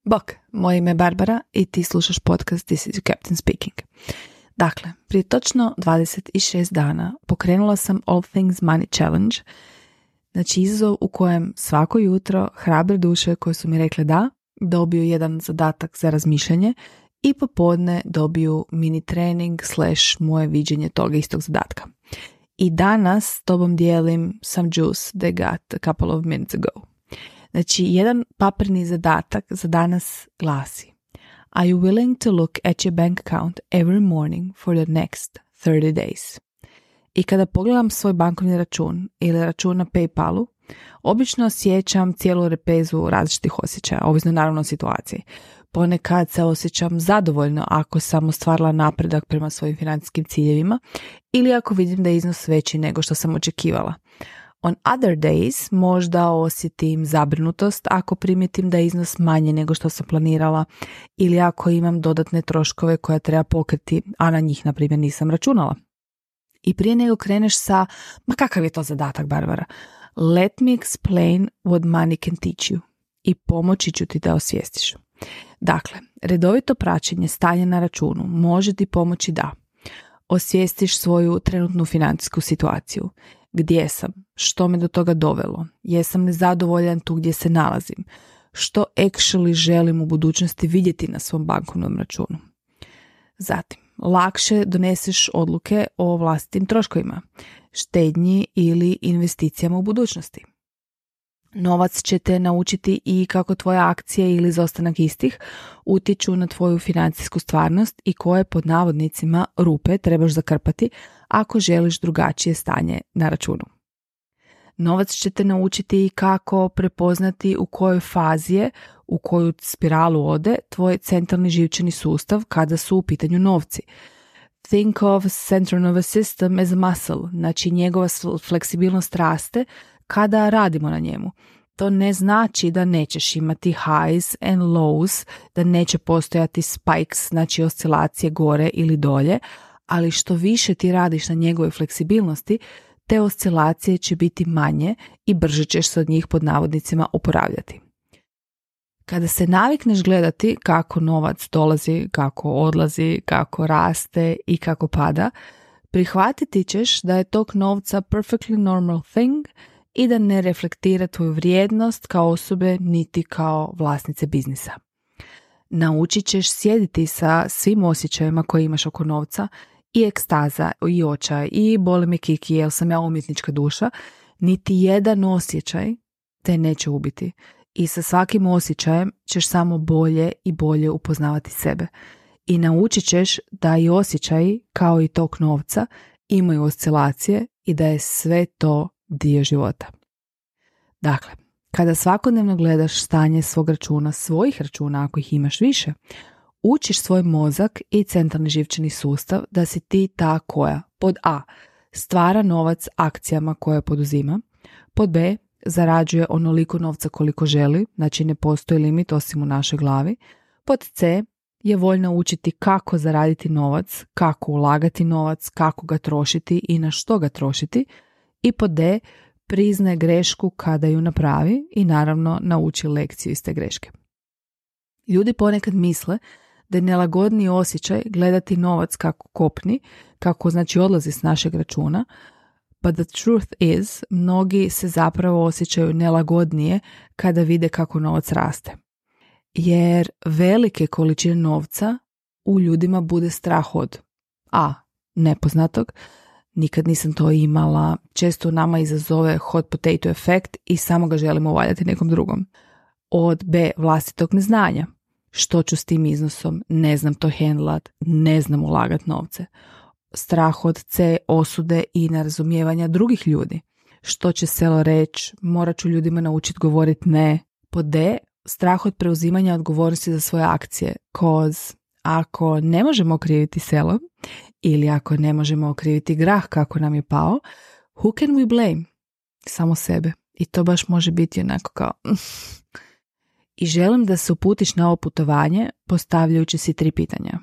Bok, moje ime je Barbara i ti slušaš podcast This is your Captain Speaking. Dakle, prije točno 26 dana pokrenula sam All Things Money Challenge, znači izazov u kojem svako jutro hrabre duše koje su mi rekle da, dobiju jedan zadatak za razmišljanje i popodne dobiju mini trening / moje viđenje toga istog zadatka. I danas s tobom dijelim some juice they got a couple of minutes ago. Znači, jedan papirni zadatak za danas glasi: Are you willing to look at your bank account every morning for the next 30 days? I kada pogledam svoj bankovni račun ili račun na PayPalu, obično osjećam cijelu repezu različitih osjećaja, ovisno naravno o situaciji. Ponekad se osjećam zadovoljno ako sam ostvarila napredak prema svojim financijskim ciljevima ili ako vidim da je iznos veći nego što sam očekivala. On other days možda osjetim zabrinutost ako primijetim da je iznos manje nego što sam planirala ili ako imam dodatne troškove koje treba pokriti, a na njih, na primjer, nisam računala. I prije nego kreneš sa, ma kakav je to zadatak, Barbara? Let me explain what money can teach you. I pomoći ću ti da osvijestiš. Dakle, redovito praćenje stanja na računu može ti pomoći da osvijestiš svoju trenutnu financijsku situaciju. Gdje sam? Što me do toga dovelo? Jesam li zadovoljan tu gdje se nalazim? Što actually želim u budućnosti vidjeti na svom bankovnom računu? Zatim, lakše doneseš odluke o vlastitim troškovima, štednji ili investicijama u budućnosti. Novac će te naučiti i kako tvoje akcije ili izostanak istih utječu na tvoju financijsku stvarnost i koje pod navodnicima rupe trebaš zakrpati ako želiš drugačije stanje na računu. Novac će te naučiti i kako prepoznati u kojoj fazi je, u koju spiralu ode tvoj centralni živčani sustav kada su u pitanju novci. Think of central nervous system as a muscle, znači njegova fleksibilnost raste kada radimo na njemu. To ne znači da nećeš imati highs and lows, da neće postojati spikes, znači oscilacije gore ili dolje, ali što više ti radiš na njegovoj fleksibilnosti, te oscilacije će biti manje i brže ćeš se od njih pod navodnicima oporavljati. Kada se navikneš gledati kako novac dolazi, kako odlazi, kako raste i kako pada, prihvatiti ćeš da je tok novca perfectly normal thing i da ne reflektira tvoju vrijednost kao osobe niti kao vlasnice biznisa. Naučit ćeš sjediti sa svim osjećajima koje imaš oko novca, i ekstaza, i očaj, i boli me kiki, jel sam ja umjetnička duša, niti jedan osjećaj te neće ubiti. I sa svakim osjećajem ćeš samo bolje i bolje upoznavati sebe. I naučit ćeš da i osjećaji, kao i tok novca, imaju oscilacije i da je sve to dio života. Dakle, kada svakodnevno gledaš stanje svog računa, svojih računa ako ih imaš više, učiš svoj mozak i centralni živčani sustav da si ti ta koja, pod A, stvara novac akcijama koje poduzima, pod B, zarađuje onoliko novca koliko želi, znači ne postoji limit osim u našoj glavi, pod C, je voljna učiti kako zaraditi novac, kako ulagati novac, kako ga trošiti i na što ga trošiti, i pod D, priznaje grešku kada ju napravi i naravno nauči lekciju iz te greške. Ljudi ponekad misle da je nelagodniji osjećaj gledati novac kako kopni, kako znači odlazi s našeg računa, but the truth is, mnogi se zapravo osjećaju nelagodnije kada vide kako novac raste. Jer velike količine novca u ljudima bude strah od A, nepoznatog, nikad nisam to imala, često nama izazove hot potato efekt i samo ga želimo uvaljati nekom drugom. Od B, vlastitog neznanja. Što ću s tim iznosom? Ne znam to handlat, ne znam ulagat novce. Strah od C, osude i nerazumijevanja drugih ljudi. Što će selo reći? Morat ću ljudima naučiti govoriti ne. Pod D, strah od preuzimanja odgovornosti za svoje akcije. Cause ako ne možemo okriviti selo ili ako ne možemo okriviti grah kako nam je pao, who can we blame? Samo sebe. I to baš može biti onako kao... I želim da se uputiš na ovo putovanje postavljajući si 3 pitanja.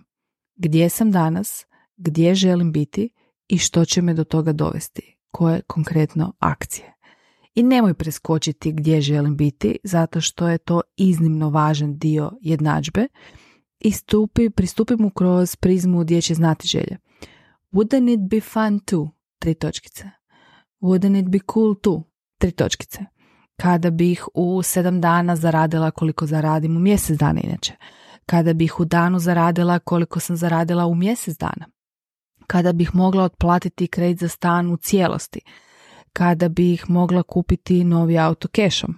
Gdje sam danas, gdje želim biti i što će me do toga dovesti? Koje konkretno akcije? I nemoj preskočiti gdje želim biti, zato što je to iznimno važan dio jednadžbe i pristupi mu kroz prizmu dječje znatiželje. Wouldn't it be fun too? 3 točkice. Wouldn't it be cool too? 3 točkice. Kada bih u 7 dana zaradila koliko zaradim u mjesec dana inače. Kada bih u danu zaradila koliko sam zaradila u mjesec dana. Kada bih mogla otplatiti kredit za stan u cijelosti. Kada bih mogla kupiti novi auto kešom.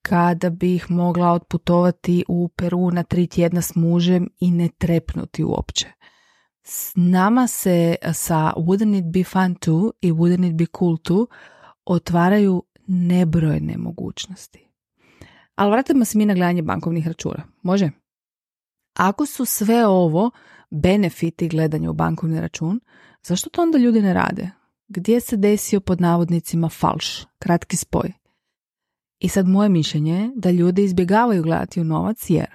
Kada bih mogla otputovati u Peru na 3 tjedna s mužem i ne trepnuti uopće. S nama se sa Wouldn't it be fun too i Wouldn't it be cool too otvaraju nebrojne mogućnosti. Ali vratimo se mi na gledanje bankovnih računa. Može? Ako su sve ovo benefiti gledanja u bankovni račun, zašto to onda ljudi ne rade? Gdje se desio pod navodnicima falš, kratki spoj? I sad moje mišljenje je da ljudi izbjegavaju gledati u novac jer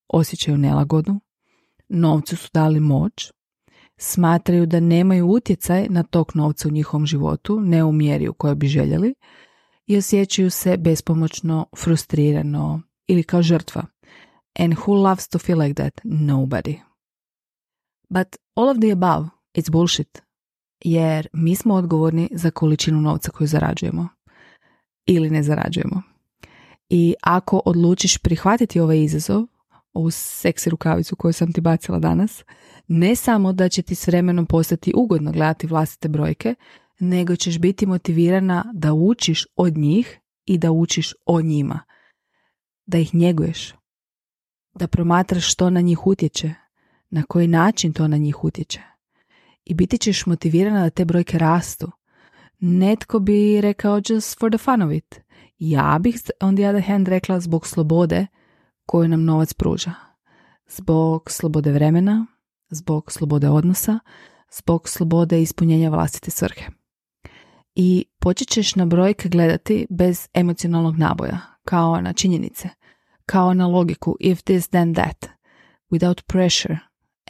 osjećaju nelagodu, novcu su dali moć, smatraju da nemaju utjecaj na tok novca u njihovom životu, ne u mjeri u kojoj bi željeli i osjećaju se bespomoćno, frustrirano ili kao žrtva. And who loves to feel like that? Nobody. But all of the above, it's bullshit. Jer mi smo odgovorni za količinu novca koju zarađujemo ili ne zarađujemo. I ako odlučiš prihvatiti ovaj izazov, ovu seksi rukavicu koju sam ti bacila danas, ne samo da će ti s vremenom postati ugodno gledati vlastite brojke, nego ćeš biti motivirana da učiš od njih i da učiš o njima. Da ih njeguješ. Da promatraš što na njih utječe, na koji način to na njih utječe. I biti ćeš motivirana da te brojke rastu. Netko bi rekao just for the fun of it. Ja bih on the other hand rekla zbog slobode koju nam novac pruža. Zbog slobode vremena, zbog slobode odnosa, zbog slobode ispunjenja vlastite svrhe. I počet ćeš na brojke gledati bez emocionalnog naboja, kao na činjenice, kao na logiku if this then that, without pressure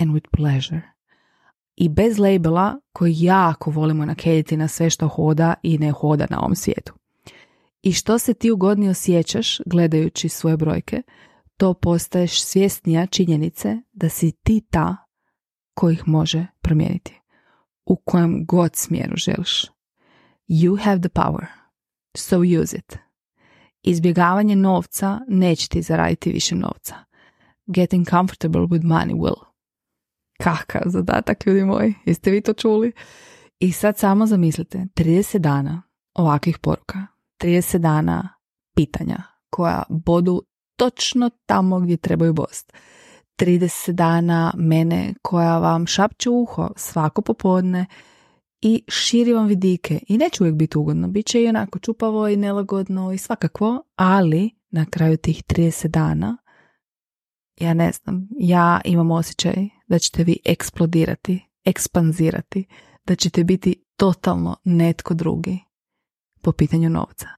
and with pleasure. I bez labela koji jako volimo nakediti na sve što hoda i ne hoda na ovom svijetu. I što se ti ugodnije osjećaš gledajući svoje brojke, to postaješ svjesnija činjenice da si ti ta koji ih može promijeniti. U kojem god smjeru želiš. You have the power, so use it. Izbjegavanje novca neće ti zaraditi više novca. Getting comfortable with money will. Kakav zadatak, ljudi moji, jeste vi to čuli? I sad samo zamislite, 30 dana ovakvih poruka, 30 dana pitanja koja bodu točno tamo gdje trebaju bost. 30 dana mene koja vam šapće u uho svako popodne i širi vam vidike. I neće uvijek biti ugodno, bit će i onako čupavo i nelagodno i svakakvo, ali na kraju tih 30 dana ja ne znam, ja imam osjećaj da ćete vi eksplodirati, ekspanzirati, da ćete biti totalno netko drugi po pitanju novca.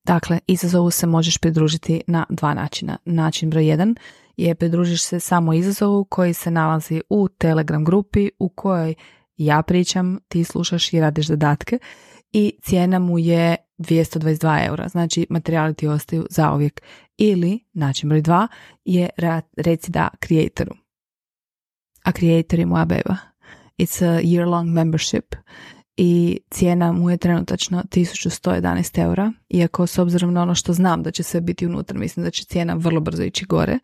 Dakle, izazovu se možeš pridružiti na 2 načina. Način broj 1 je pridružiš se samo izazovu koji se nalazi u Telegram grupi u kojoj ja pričam, ti slušaš i radiš zadatke i cijena mu je 222 eura. Znači, materijali ti ostaju zauvijek. Ili, način broj 2 je reci da creatoru. A creator je moja beba. It's a year-long membership i cijena mu je trenutačno 1111 eura. Iako s obzirom na ono što znam da će sve biti unutra, mislim da će cijena vrlo brzo ići gore.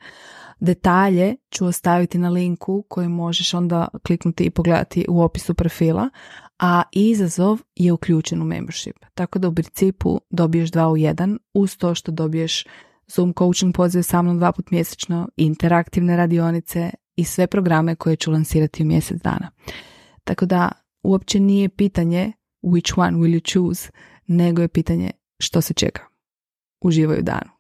Detalje ću ostaviti na linku koji možeš onda kliknuti i pogledati u opisu profila, a izazov je uključen u membership. Tako da u principu dobiješ 2 u 1 uz to što dobiješ Zoom coaching poziv sa mnom 2 puta mjesečno, interaktivne radionice i sve programe koje ću lansirati u mjesec dana. Tako da uopće nije pitanje which one will you choose, nego je pitanje što se čeka. Uživaj u danu.